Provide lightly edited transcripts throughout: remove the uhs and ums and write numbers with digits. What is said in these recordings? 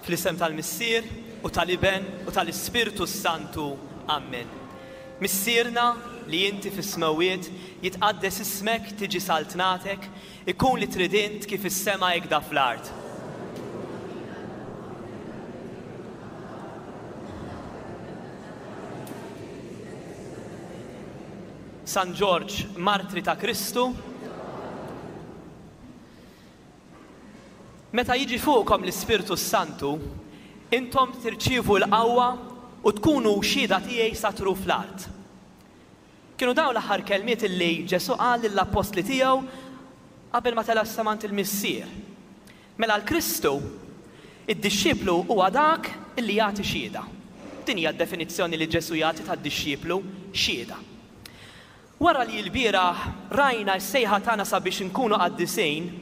Fl-isem tal-Missier, u tal-Iben, u tal-Ispirtu s-Santu. Ammen. Missierna, li inti fis-smewwiet, jitqaddes ismek, tiġi saltnatek, ikun li trid int kif is-sema hekda fl-art. San Ġorġ, martri ta' Kristu, Meta jiġi fuqkom l-Ispirtu s-Santu, intom tirċievu l-qawwa u tkunu xhieda tiegħi sa truf l-art. Kienu dawn l-aħħar kelmiet illi Ġesù qal lill-appostli tiegħu qabel ma tela' s-sema għand il-Missier. Mela għal Kristu, id-dixxiplu huwa dak illi jagħti xhieda. Din hija d-definizzjoni li Ġesù jagħti tad-dixxiplu, xhieda. Wara li lbieraħ rajna s-sejħa tagħna sabiex inkunu qaddisin,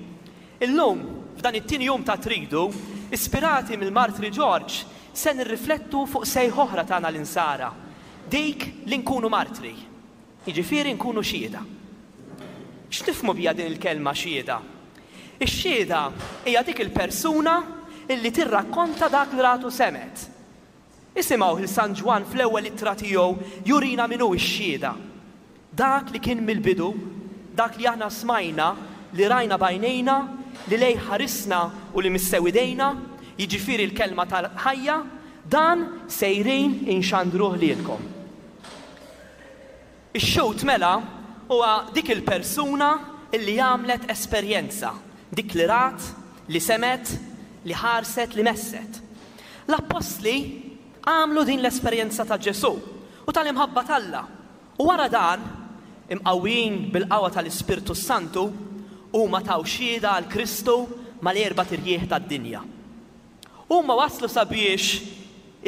illum, f'dan it-tieni jum ta' Tridu, ispirati mill-Martri Ġorġ, se nirriflettu fuq sejħa oħra tagħna l-Insara, dik li nkunu martri, jiġifieri nkunu xhieda. X'nifhmu biha din il-kelma xhieda? Ix-xhieda hija dik il-persuna illi tirrakkonta dak li rat u semgħet. Isimgħuh 'l San Ġwann fl-ewwel ittra tiegħu jurina min hu x-xhieda. Dak li kien mill-bidu, dak li aħna smajna, li rajna b'għajnejna, li lejh ħarisna u li missew idejna, jiġifieri l-Kelma tal-ħajja, dan sejrin inxandruh lilkom. Ix-xhud mela huwa dik il-persuna li għamlet esperjenza, dik li rat, li semgħet, li ħarset, li messet. L-appostli għamlu din l-esperjenza ta' Ġesù u tal-imħabba t'Alla, u wara dan, imqawwijin bil-qawwa tal-Ispirtu s-Santu, huma taw xhieda għal Kristu mal-erbat irjieħ tad-dinja. Huma waslu sabiex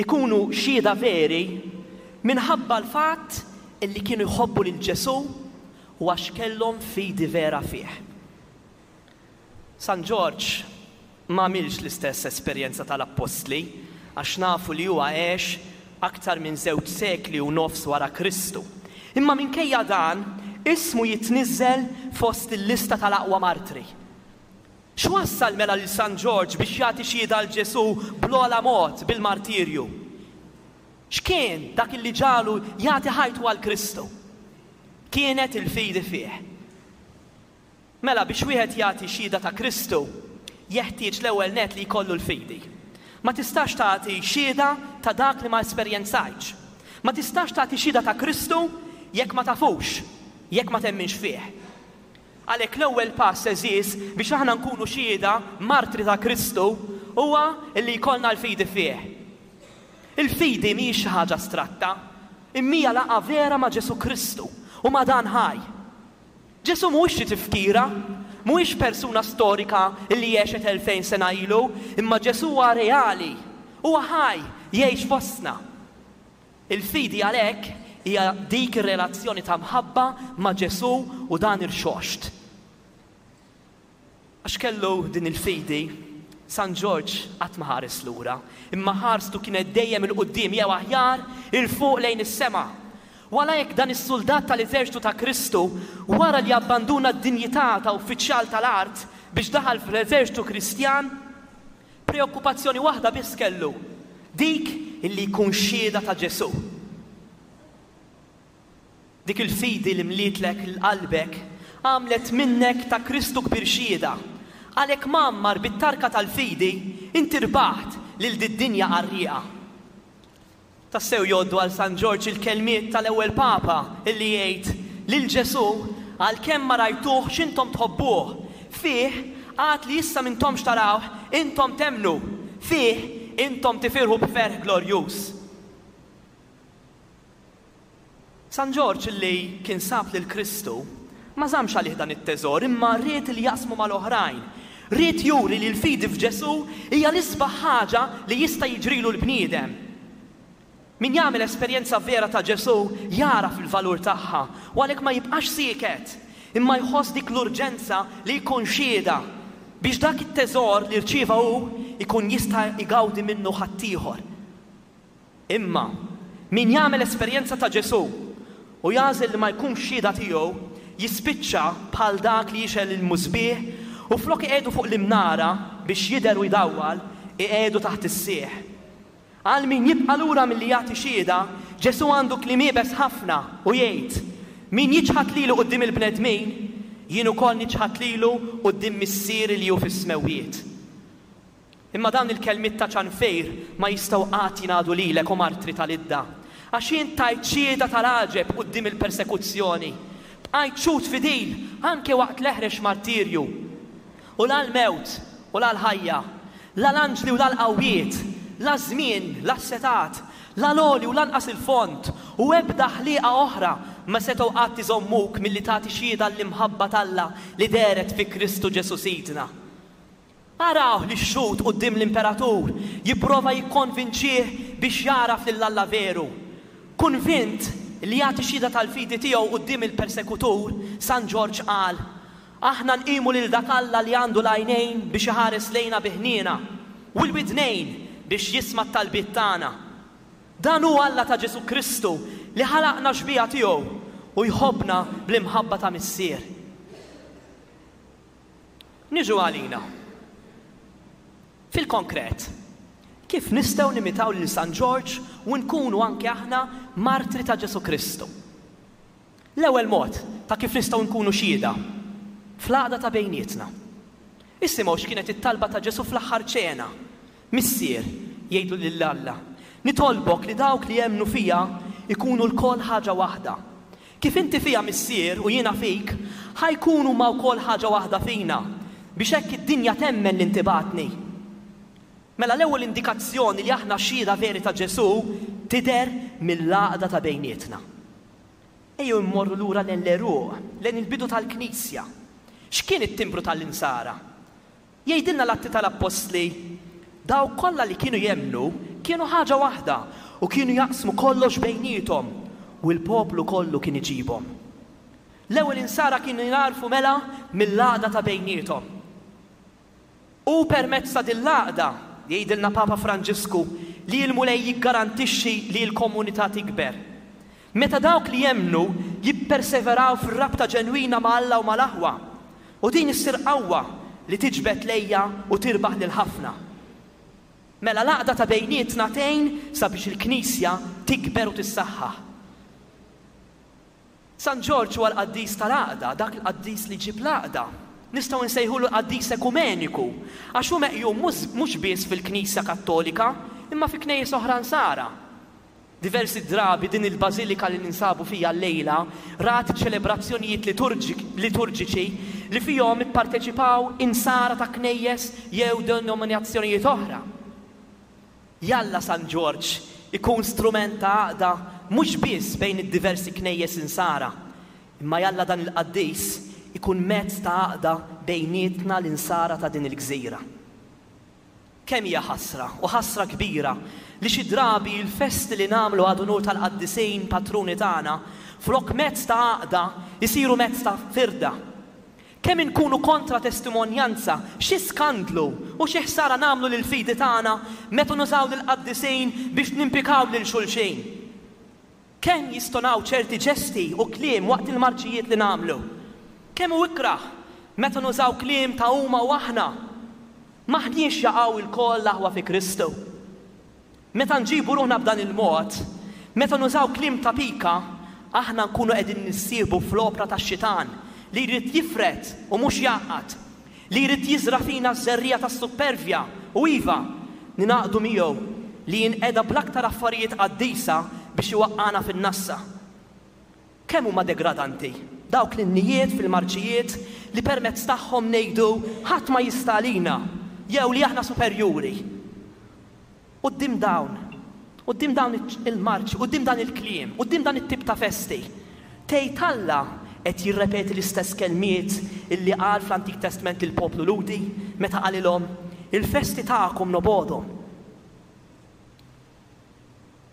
ikunu xhieda veri minħabba l-fatt li kienu jħobbu lil Ġesù u għax kellhom fidi vera fih. San Ġorġ m'għamilx l-istess esperjenza tal-appostli għax nafu li huwa għex aktar minn żewġ sekli u nofs wara Kristu. Imma minkejja dan, ismu jitniżżel fost il-lista tal-aqwa martri. X'wassal mela lil San Ġorġ biex jagħti xhieda għal Ġesù bl-ogħla mod, bil-martirju? X'kien dak illi ġagħlu jagħti ħajtu għal Kristu? Kienet il-fidi fih. Mela biex wieħed jagħti xhieda ta' Kristu, jeħtieġ l-ewwel nett li jkollu l-fidi. Ma tistax tagħti xhieda ta' dak li ma esperjenzajtx. Ma tistax tagħti xhieda ta' Kristu jekk ma tafux, jekk ma temminx fih. Għalhekk l-ewwel pass, għeżież, biex aħna nkunu xhieda martri ta' Kristu huwa li jkollna l-fidi fih. Il-fidi mhijiex xi ħaġa astratta, imma hija laqgħa vera ma' Ġesù Kristu u ma' dan ħaj. Ġesù mhuwiex xi tifkira, mhuwiex persuna storika li għexet 2000 sena ilu, imma Ġesù huwa reali, huwa ħaj, jgħix fostna. Il-fidi għalhekk hija dik ir-relazzjoni ta' mħabba ma' Ġesù u dan irxoxt. Għax kellu din il-fidi, San Ġorġ qatt ma ħares lura, imma ħarstu kienet dejjem 'il quddiem jew aħjar 'il fuq lejn is-sema. U għalhekk dan is-suldat tal-eżerċtu ta' Kristu, wara li abbanduna d-dinjità ta' uffiċjal tal-art biex daħal fl-eżerċtu Kristjan, Preokkupazzjoni waħda biss kellu, dik illi jkun xhieda ta' Ġesù. Dik il-fidi li mlietlek 'l qalbek għamlet minnek ta' Kristu kbir xhieda. Għalhekk mgħammar bit-tarka tal-fidi, inti rbaħt lil did-dinja qarrieqa. Tassew jgħoddu għal San Ġorġ il-kelmiet tal-ewwel Papa illi jgħid, Lil Ġesù, għalkemm ma rajtuhx intom tħobbuh, fih, għad li issa m'intomx tarawh, intom temmnu, fih, intom tifirħu b'ferħ glorjuż. San Ġorġ illi kien sab lil Kristu, ma żammx għalih dan it-teżor imma ried li jaqsmu mal-oħrajn. Ried juri li l-fidi f'Ġesù hija l-isbaħ ħaġa li jista' jiġrilu l-bniedem. Min jagħmel esperjenza vera ta' Ġesù jagħraf il-valur tagħha u għalhekk ma jibqax sieket, imma jħoss dik l-urġenza li jkun xhieda biex dak it-teżor li rċieva hu jkun jista' jgawdi minnu ħaddieħor. Imma, min jagħmel esperjenza ta' Ġesù u jagħżel li ma jkunx xhieda tiegħu, jispiċċa bħal dak li jixgħel il-musbieħ u flok iqiegħdu fuq l-imnara biex jidher u jdawwal, Iqiegħdu taħt is-sieħ. Għal min jibqa' lura milli jagħti xhieda, Ġesù għandu kliem iebes ħafna u jgħid, Min jiċħad lili quddiem il-bnedmin, jien ukoll niċħad lilu quddiem Missieri li hu fis-smewwiet. Imma dawn il-kelmiet ta' ċanfir ma jistgħu qatt jingħadu lilek, o martri ta' Lidda, għax int tajt xhieda tal-għaġeb quddiem il-persekuzzjoni. Bqajt xhud fidil anke waqt l-eħrex martirju. U la l-mewt, u la l-ħajja, la l-anġli u la l-qawwiet, la ż-żmien, la s-setgħat, la l-għoli u lanqas il-fond, u ebda ħliqa oħra ma setgħu qatt iżommuk milli tagħti xhieda għall-imħabba t'Alla li dehret fi Kristu Ġesù Sidna. Arawh lix-xhud quddiem l-imperatur jipprova jikkonvinċih biex jagħraf lil Alla veru. Konvint li jagħti xhieda tal-fidi tiegħu quddiem il-persekutur, San Ġorġ qal, Aħna nqimu lil dak Alla li għandu l-għajnejn biex iħares lejna bi ħniena, u l-widnejn biex jisma' t-talbiet tagħna. Dan hu Alla ta' Ġesù Kristu li ħalaqna xbieha tiegħu u jħobbna bl-imħabba ta' Missier. Niġu għalina. Fil-konkret, kif nistgħu nimitaw lil San Ġorġ u nkunu anke aħna martri ta' Ġesù Kristu? L-ewwel mod ta' kif nistgħu nkunu xhieda, fl-għaqda ta' bejnietna. Isimgħu x'kienet it-talba ta' Ġesù fl-aħħar ċena, Missier, jgħidlu lil Alla, nitolbok li dawk li jemmnu fija jkunu lkoll ħaġa waħda. Kif inti fija, Missier, u jiena fik, ħa jkunu huma wkoll ħaġa waħda fina, biex hekk id-dinja temmen li inti bgħattni. Mela l-ewwel indikazzjoni li aħna xhieda veri ta' Ġesù tidher mill-għaqda ta' bejnietna. Ejjew immorru lura lejn l-għeruq, lejn il-bidu tal-Knisja. X'kien it-timbru tal-Insara? Jgħidilna l-Atti tal-Appostli, Dawk kollha li kienu jemmnu kienu ħaġa waħda u kienu jaqsmu kollox bejniethom, u l-poplu kollu kien iġibhom. L-ewwel Insara kienu jingħarfu mela mill-għaqda ta' bejniethom. Hu permezz ta' din l-għaqda, jgħidilna Papa Franġisku, li l-Mulej jiggarantixxi li l-komunità tikber. Meta dawk li jemmnu jipperseveraw fir-rabta ġenwina ma' Alla u mal-aħwa, u din issir qawwa li tiġbed lejha u tirbaħ lil ħafna. Mela l-għaqda ta' bejnietna tgħin sabiex il-Knisja tikber u tissaħħaħ. San Ġorġ huwa l-qaddis tal-għaqda, dak il-qaddis li jġib l-għaqda. Nistgħu nsejħulu l-qaddis ekumeniku, għax hu meqjum mhux biss fil-Knisja Kattolika, imma fi knejjes oħra Nsara. Diversi drabi din il-bażilika li ninsabu fiha llejla rat ċelebrazzjonijiet liturġiċi li fihom ipparteċipaw Insara ta' knejjes jew denominazzjonijiet oħra. Jalla San Ġorġ ikun strument ta' għaqda mhux biss bejn id-diversi knejjes Insara, imma jalla dan il-qaddis ikun mezz ta' għaqda bejnietna l-Insara ta' din il-gżira. Kemm hija ħasra, u ħasra kbira, li xi drabi l-festi li nagħmlu ad unur tal-qaddisin patruni tagħna, flok mezz ta' għaqda, isiru mezz ta' firda. Kemm inkunu kontra testimonjanza, xi skandlu u xi ħsara nagħmlu lill-fidi tagħna meta nużaw lill-qaddisin biex nimpikaw lil xulxin! Kemm jistonaw ċerti ġesti u kliem waqt il-marċijiet li nagħmlu! Kemm hu ikrah meta nużaw kliem ta' huma u aħna! M'aħniex jaqaw ilkoll l-aħwa fi Kristu? Meta nġibu ruħna b'dan il-mod, meta nużaw kliem ta' pika, aħna nkunu qegħdin nissieħbu fl-opra tax-Xitan li jrid jifred u mhux jgħaqqad, li jrid jiżra' fina ż-żerriegħa tas-suppervja u, iva, ningħaqdu miegħu li jinqeda bl-aktar affarijiet qaddisa biex iwaqqagħna fin-nassa. Kemm huma degradanti dawk l-innijiet fil-marċijiet li permezz tagħhom ngħidu ħadd ma jista' għalina jew li aħna superjuri. Quddiem dawn, quddiem dawn il-marċi, quddiem dan il-kliem, quddiem dan it-tip ta' festi, tgħid Alla qed jirrepeti l-istess kelmiet illi qal fl-Antik Testment lill-poplu Lhudi meta qalilhom, Il-festi tagħkom nobgħodhom.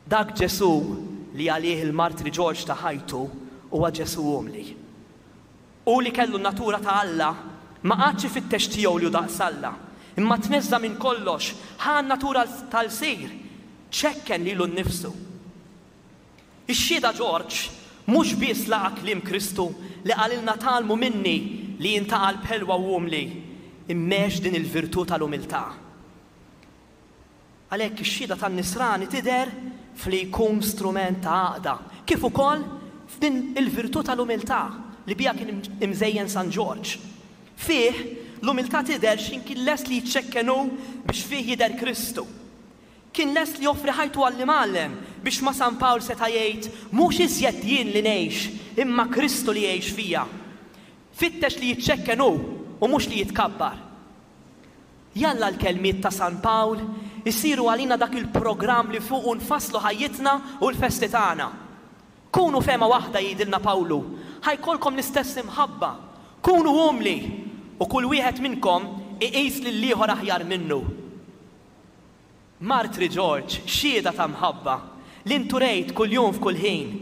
Dak Ġesù li għalih il-martri Ġorġ ta ħajtu huwa Ġesù umli. Hu li kellu n-natura ta' Alla, ma qagħadx ifittex tiegħu li hu daqs Alla, imma tneżża' minn kollox, ħa n-natura ta' lsir, ċekken lilu nnifsu. Ix-xhieda Ġorġ mhux biss laqa' kliem Kristu li qalilna tgħallmu minni li jien ta' qalb ħelwa u umli, imma għex din il-virtù tal-umiltà. Għalhekk ix-xhieda tan-Nisrani tidher f'li jkun strument ta' għaqda, kif ukoll f'din il-virtù tal-umiltà li biha kien imżejjen San Ġorġ. Fih, l-umiltà tidher x'ħin kien lest li jiċċekken hu biex fih jidher Kristu. Kien lest li joffri ħajtu għall-Imgħallem biex ma' San Pawl seta' jgħid, Mhux iżjed jien li ngħix, imma Kristu li jgħix fija. Fittex li jiċċekken hu u mhux li jitkabbar. Jalla l-kelmiet ta' San Pawl isiru għalina dak il-programm li fuqu nfasslu ħajjitna u l-festi tagħna. Kunu fehma waħda, jgħidilna Pawlu, ħa jkollkom l-istess imħabba. Kunu umli, u kull wieħed minnkom iqis lill-ieħor aħjar minnu. Martri Ġorġ, xhieda ta' mħabba, li int urejt kuljum f'kull ħin,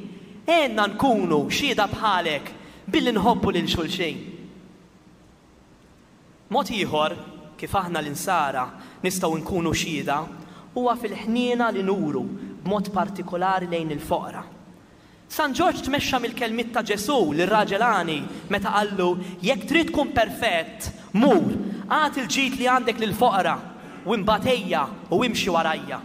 għinna nkunu xhieda bħalek billi nħobbu lil xulxin. Mod ieħor kif aħna l-Insara nistgħu nkunu xhieda huwa fil-ħniena li nuru b'mod partikolari lejn il-foqra. San Ġorġ tmexxa mill-kelmiet ta' Ġesù lir-raġel għani meta qallu, Jekk trid tkun perfett, mur, agħti l-ġid li għandek lill-foqra, u imbagħad ejja u imxi warajja.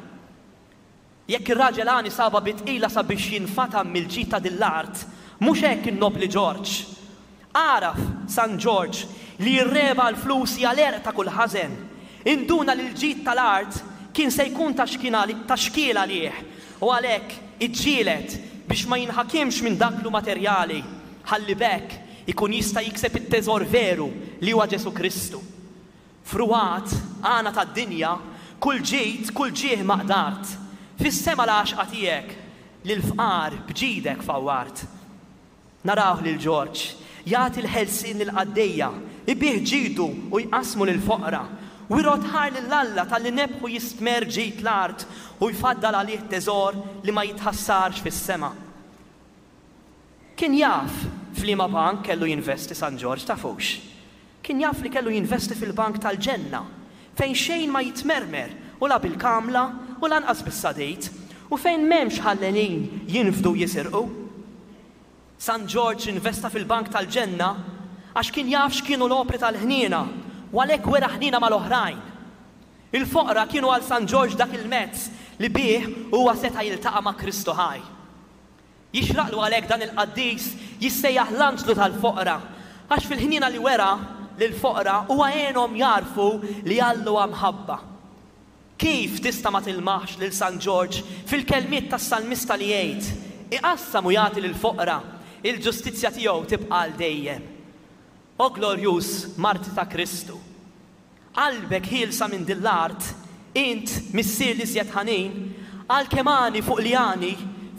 Jekk ir-raġel għani sabha bi tqila sabiex jinfatam mill-ġid ta' din l-art, mhux hekk in-nobbli Ġorġ. Agħraf, San Ġorġ, li r-regħba għall-flus hija l-għerq ta' kull ħażen. Induna li l-ġid tal-art kien se jkun ta' ta' xkiel għalih u għalhekk iġġieled biex ma jinħakimx minn dak lu materjali ħalli b'hekk ikun jista' jikseb it-teżor veru li huwa Ġesù Kristu. Frugħat, għana tad-dinja, kull ġid, kull ġieħ ma qdart. Fis-sema l-għaxqa tiegħek, lill-fqar b'ġidek fawwart. Narawh lil Ġorġ, jagħti l-ħelsien lill-qaddejja, ibigħ ġidu u jqassmu lill-foqra, u jrodd ħajr lil Alla talli nebħu jistmerr ġid l-art u jfaddal għalih teżor li ma jitħassarx fis-sema. Kien jaf f'liema bank kellu jinvesti San Ġorġ, tafux? Kien jaf li kellu jinvesti fil-bank tal-ġenna, fejn xejn ma jitmermer u la bil-kamla u lanqas bis-sadid, u fejn m'hemmx ħallelin jinfdu u jisirqu. San Ġorġ investa fil-bank tal-ġenna għax kien jaf x'kienu l-opri tal-ħniena u għalhekk wera ħniena mal-oħrajn. Il-foqra kienu għal San Ġorġ dak il-mezz li bih huwa seta' jiltaqa' ma' Kristu ħaj. Jixraqlu għalhekk dan il-qaddis jissejjaħ l-anġlu tal-foqra, għax fil-ħniena li wera lill-foqra huwa għenhom jagħrfu li Alla huwa mħabba. Kif tista' ma tilmaħx lil San Ġorġ fil-kelmiet tas-salmista li jgħid, Iqassam u jagħti lill-foqra, il-ġustizzja tiegħu tibqa' għal dejjem. O glorjuż martri ta' Kristu! Qalbek ħielsa minn din l-art, int, Missier l-iżjed ħanin, għalkemm għani fuq li għani,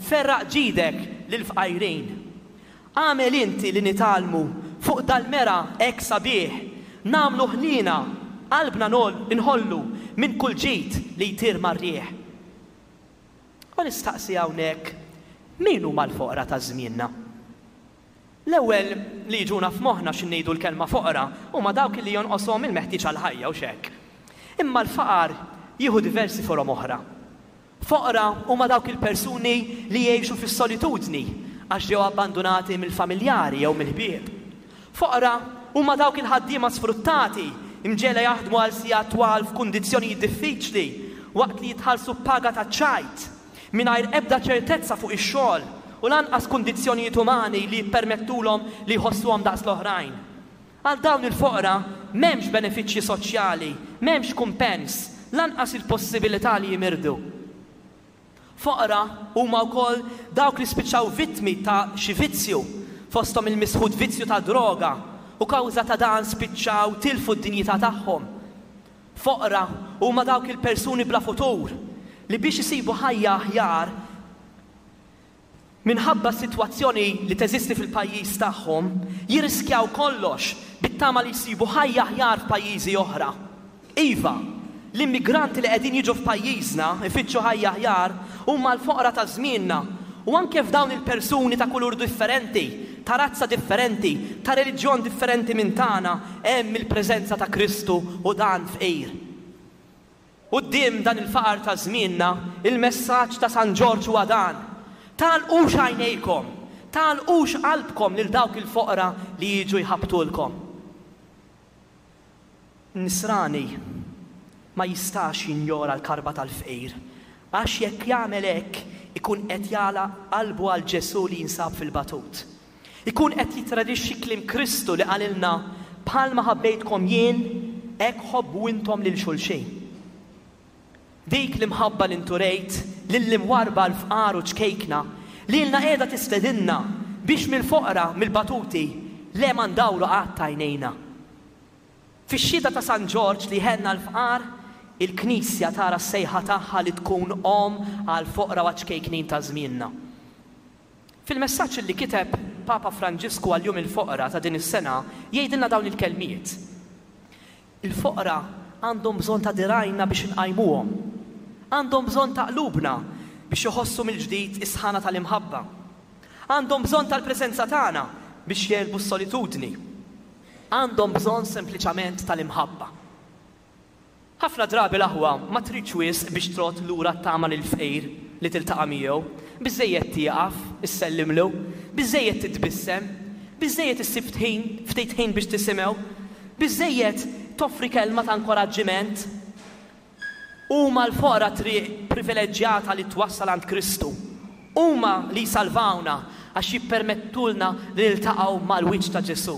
ferraq ġidek lill-fqajrin. Agħmel inti li nitgħallmu fuq dal-mera hekk sabiħ, nagħmlu ħniena, qalbna nħollu minn kull ġid li jtir mar-riħ. U nistaqsi hawnhekk, min huma l-foqra ta' żmienna? L-ewwel li jiġuna f'moħħna xi ngħidu l-kelma foqra huma dawk li jonqoshom il-meħtieġ għall-ħajja, hux hekk? Imma l-faqar jieħu diversi forom oħra. Foqra huma dawk il-persuni li jgħixu fis-solitudni għax ġew abbandunati mill-familjari jew mill-ħbieb. Foqra huma dawk il-ħaddiema sfruttati, imġegħla jaħdmu għal sigħat twal f'kundizzjonijiet diffiċli waqt li jitħallsu b'paga taċ-ċajt. mingħajr ebda ċertezza fuq ix-xogħol u lanqas kundizzjonijiet umani li jippermettulhom li jħossuhom daqs l-oħrajn. Għal dawn il-foqra m'hemmx benefiċċji soċjali, m'hemmx kumpens, lanqas il-possibilità li jimirdu. Foqra huma wkoll dawk li spiċċaw vittmi ta' xi vizzju, fosthom il-misħut vizzju tad-droga, u kawża ta' dan spiċċaw tilfu d-dinjità tagħhom. Foqra huma dawk il-persuni bla futur li biex isibu ħajja aħjar minħabba s-sitwazzjoni li teżisti fil-pajjiż tagħhom, jirriskjaw kollox bit-tama li jsibu ħajja aħjar f'pajjiżi oħra. Iva, l-immigranti li qegħdin jiġu f'pajjiżna jfittxu ħajja aħjar huma l-foqra ta' żmienna u anke f'dawn il-persuni ta' kulur differenti, ta' razza differenti, ta' reliġjon differenti minn tagħna, hemm il-preżenza ta' Kristu u dan fqir. Quddiem dan il-faqar ta' żmienna, il-messaġġ ta' San Ġorġ huwa dan, Tagħlqux għajnejkom, tagħlqux qalbkom lil dawk il-foqra li jiġu jħabbtulkom. Nisrani. ma jistax jinjora l-karba tal-fqir, għax jekk jagħmel hekk ikun qed jagħlaq qalbu għal Ġesù li jinsab fil-batut. Ikun qed jittradixxi kliem Kristu li qalilna, Bħalma ħabbejtkom jien, hekk ħobbu intom lil xulxin. Dik l-imħabba li nturejt lill-imwarrba l-fqar u ċkejkna, lilna qiegħda tistedinna biex mill-foqra, mill-batuti, le ma ndawru qatt għajnejna. Fix-xhieda ta' San Ġorġ li jhenna l-fqar, il-Knisja tara s-sejħa tagħha li tkun omm għall-foqra u għaċ-ċkejknin ta' żmienna. Fil-messaġġ li kiteb Papa Franġisku għal Jum il-Foqra ta' din is-sena jgħidilna dawn il-kelmiet, Il-foqra għandhom bżonn ta' dirgħajna biex inqajmuhom. Għandhom bżonn ta' qlubna biex iħossu mill-ġdid is-sħana tal-imħabba. Għandhom bżonn tal-preżenza tagħna biex jegħlbu s-solitudni. Għandhom bżonn sempliċament tal-imħabba. Ħafna drabi l-aħwa ma tridx wisq biex trodd lura t-tama lill-fqir li tiltaqa' miegħu. Biżżejjed tieqaf, issellimlu, biżżejjed titbissem, biżżejjed issib ħin, ftit ħin biex tisimgħu, biżżejjed toffri kelma ta' inkoraġġiment. Huma l-foqra triq privileġġjata li twassal għand Kristu. Huma li jsalvawna għax jippermettulna li niltaqgħu mal-wiċċ ta' Ġesù.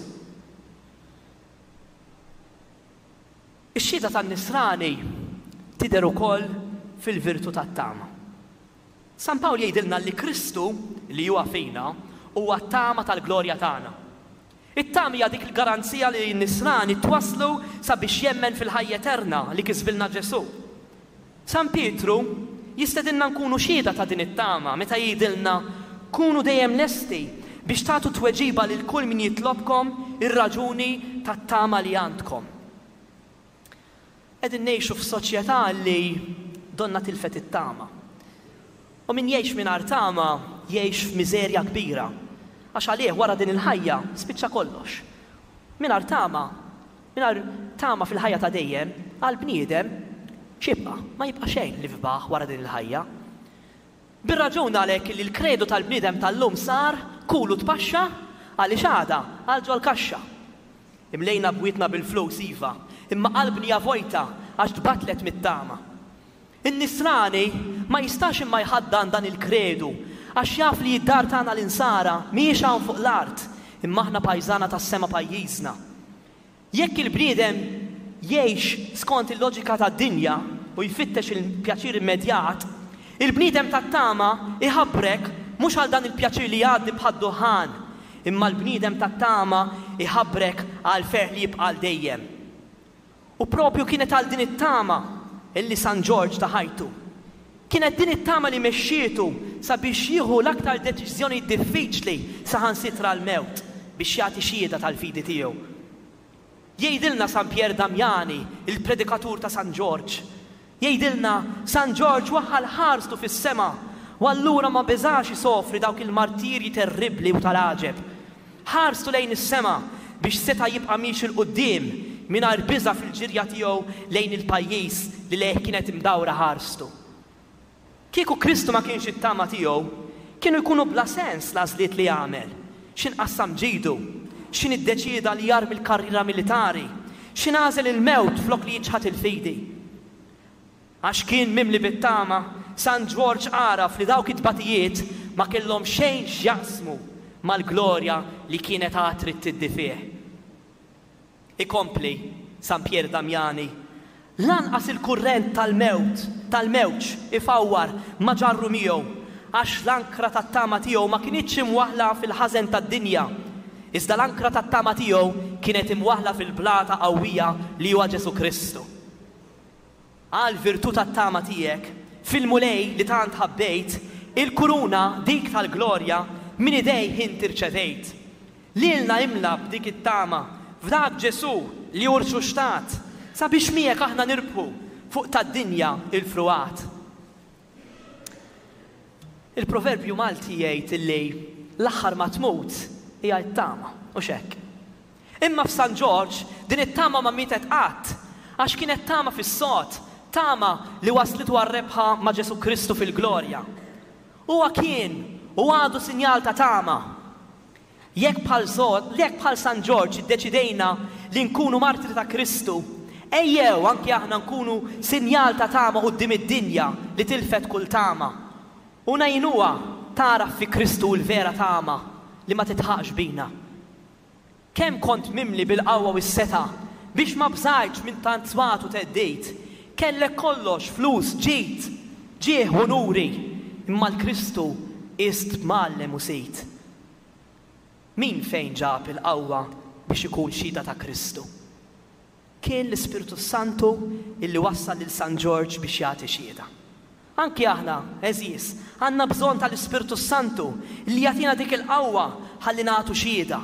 Ix-xhieda tan-Nisrani tidher ukoll fil-virtù tat-tama. San Pawl jgħidilna li Kristu, li huwa fina, huwa t-tama tal-glorja tagħna. It-tama hija dik il-garanzija li n-Nisrani twasslu sabiex jemmen fil-ħajja eterna li kisbilna Ġesù. San Pietru jistedinna nkunu xhieda ta' din it-tama meta jgħidilna, Kunu dejjem lesti biex tagħtu tweġiba lil kull min jitlobkom ir-raġuni tat-tama li għandkom. Qegħdin ngħixu f'soċjetà li donnha tilfet it-tama. U min jgħix mingħajr tama jgħix f'miżerja kbira, għax għalih wara din il-ħajja spiċċa kollox. Mingħajr tama Mingħajr tama fil-ħajja ta' dejjem, għall-bniedem, x'jibqa'? Ma jibqa' xejn li fbaħ wara din il-ħajja. Bir-raġun għalhekk li l-kredu tal-bniedem tal-lum sar, kul u tpaxxa, għaliex għada, għal ġol-kaxxa. Imlejna bwietna bil-flus, iva, imma qalbni hija vojta għax tbattlet mit-tama. In-Nisrani ma jistax imma jħaddan dan il-kredu għax jaf li d-dar tagħna l-Insara mhijiex hawn fuq l-art imma aħna pajżana tas-sema pajjiżna. Jekk il-bniedem jgħix skont il-loġika tad-dinja u jfittex il-pjaċir immedjat, il-bniedem tat-tama jħabbrek mhux għal dan il-pjaċir li jgħaddi bħad-duħħan, imma l-bniedem tat-tama jħabbrek għall-ferħ li jibqa' għal dejjem. U propju kienet għal din it-tama illi San Ġorġ ta ħajtu. Kienet din it-tama li mexxietu sabiex jieħu l-aktar deċiżjonijiet diffiċli saħansitra l-mewt biex jagħti xhieda tal-fidi tiegħu. Jgħidilna San Pier Damiani, il-predikatur ta' San Ġorġ, Jgħidilna, San Ġorġ waħħal ħarstu fis-sema u allura ma beżax isofri dawk il-martirji terribbli u tal-għaġeb. Ħarstu lejn is-sema biex seta' jibqa' miexi 'l quddiem mingħajr biża' fil-ġirja tiegħu lejn il-pajjiż li lejh kienet imdawra ħarstu. Kieku Kristu ma kienx it-tama tiegħu, kienu jkunu bla sens l-għażliet li għamel, x'in qassam ġidu, x'in iddeċieda li jarmi l-karriera militari, x'in għażel il-mewt flok li jiċħad il-fidi. Għax kien mimli bit-tama, San Ġworġ għaraf li dawk it-tbatijiet ma kellhom xejn x'jaqsmu mal-glorja li kienet għad trid tiddi fih. Ikompli San Pier Damiani, Lanqas il-kurrent tal-mewt, tal-mewġ, ifawwar ma ġarru miegħu, għax l-ankra tat-tama tiegħu ma kinitx imwaħħla fil-ħażen tad-dinja, iżda l-ankra tat-tama tiegħu kienet imwaħħla fil-blata qawwija li huwa Ġesù Kristu. Għall-virtù tat-tama tiegħek, fil-Mulej li tant ħabbejt, il-kuruna, dik tal-glorja, minn idejh inti rċevejt. Lilna imla b'dik it-tama, f'dak Ġesù li hu rxuxtat, sabiex miegħek aħna nirbħu fuq tad-dinja l-frugħat. Il-proverbju Malti jgħid illi l-aħħar ma tmut hija t-tama, hux hekk? Imma f'San Ġorġ din it-tama ma mietet qatt, għax kienet tama fis-sod, tama li wasslitu għar-rebħa ma' Ġesù Kristu fil-glorja. Huwa kien u għadu sinjal ta' tama. Jekk bħal jekk bħal San Ġorġ iddeċidejna li nkunu martri ta' Kristu, Ejjew anki aħna nkunu sinjal ta' tama quddiem id-dinja li tilfet kull tama, u ngħinuha tagħraf fi Kristu l-vera tama li ma titħaqx bina. Kemm kont mimli bil-qawwa u s-setgħa biex ma bżajtx minn tant swat u theddid. Kellek kollox, flus, ġid, ġieħ u unuri, imma 'l Kristu qist b'mgħallem u sid. Min fejn ġab il-qawwa biex ikun xhieda ta' Kristu? Kien l-Ispirtu s-Santu illi wassal lil San Ġorġ biex jagħti xhieda. Anki aħna, għeżież, għandna bżonn tal-Ispirtu s-Santu li jagħtina dik il-qawwa ħalli nagħtu xhieda.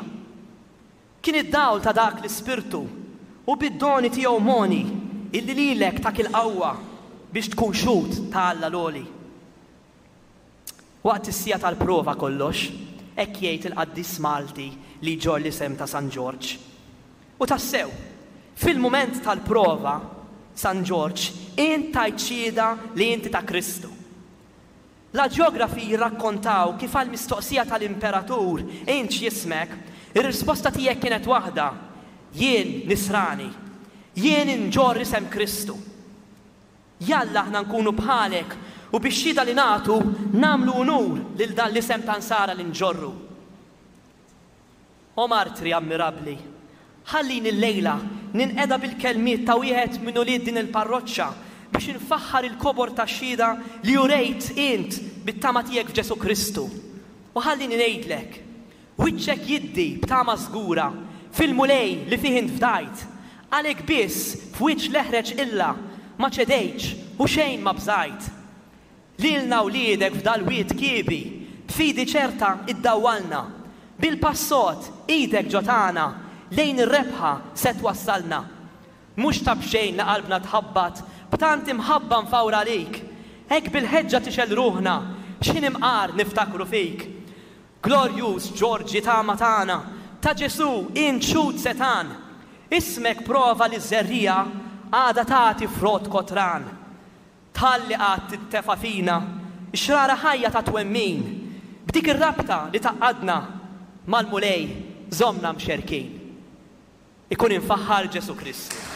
Kien id-dawl ta' dak l-Ispirtu u bid-doni tiegħu mogħni illi lilek tak il-qawwa biex tkun xhud ta' Alla l-Għoli. Waqt is-siegħa tal-prova kollox, hekk jgħid il-qaddis Malti li jġorr l-isem ta' San Ġorġ. U tassew, fil-mument tal-prova, San Ġorġ, int tajt xhieda li inti ta' Kristu. L-aġjografi jirrakkontaw kif għall-mistoqsija tal-imperatur int x'jismek, ir-risposta tiegħek kienet waħda, Jien Nisrani. Jien inġorr isem Kristu. Jalla aħna nkunu bħalek u bix-xhieda li nagħtu nagħmlu unur lil dan l-isem ta' Nsara li nġorru. O martri ammirabbli, ħallini llejla ninqeda bil-kelmiet ta' wieħed minn ulied din il-parroċċa biex infaħħar il-kobor tax-xhieda li urejt int bit-tama tiegħek f'Ġesù Kristu. U ħallini ngħidlek, Wiċċek jiddi b'tama żgura fil-Mulej li fih int fdajt. Għalhekk biss f'wiċċ l-eħreġ qilla ma ċedejtx u xejn ma bżajt. Lilna wliedek f'dal-wied kiebi b'fidi ċerta iddawwalna. Bil-pass sod, idek ġo tagħna, lejn ir-rebħa se twassalna. Mhux ta' b'xejn li qalbna tħabbat b'tant imħabba mfawra għalik. Hekk bil-ħeġġa tixgħel ruħna x'ħin imqar niftakru fik. Glorjuż Ġorġi tama tagħna, ta' Ġesù int xhud setgħan. Ismek prova li ż-żerriegħa għadha tagħti frott kotran. Tħalli qatt tintefa' fina x-xrara ħajja ta' twemmin, b'dik ir-rabta li tgħaqqadna mal-Mulej żommna mxerkin. Ikun imfaħħar Ġesù Kristu.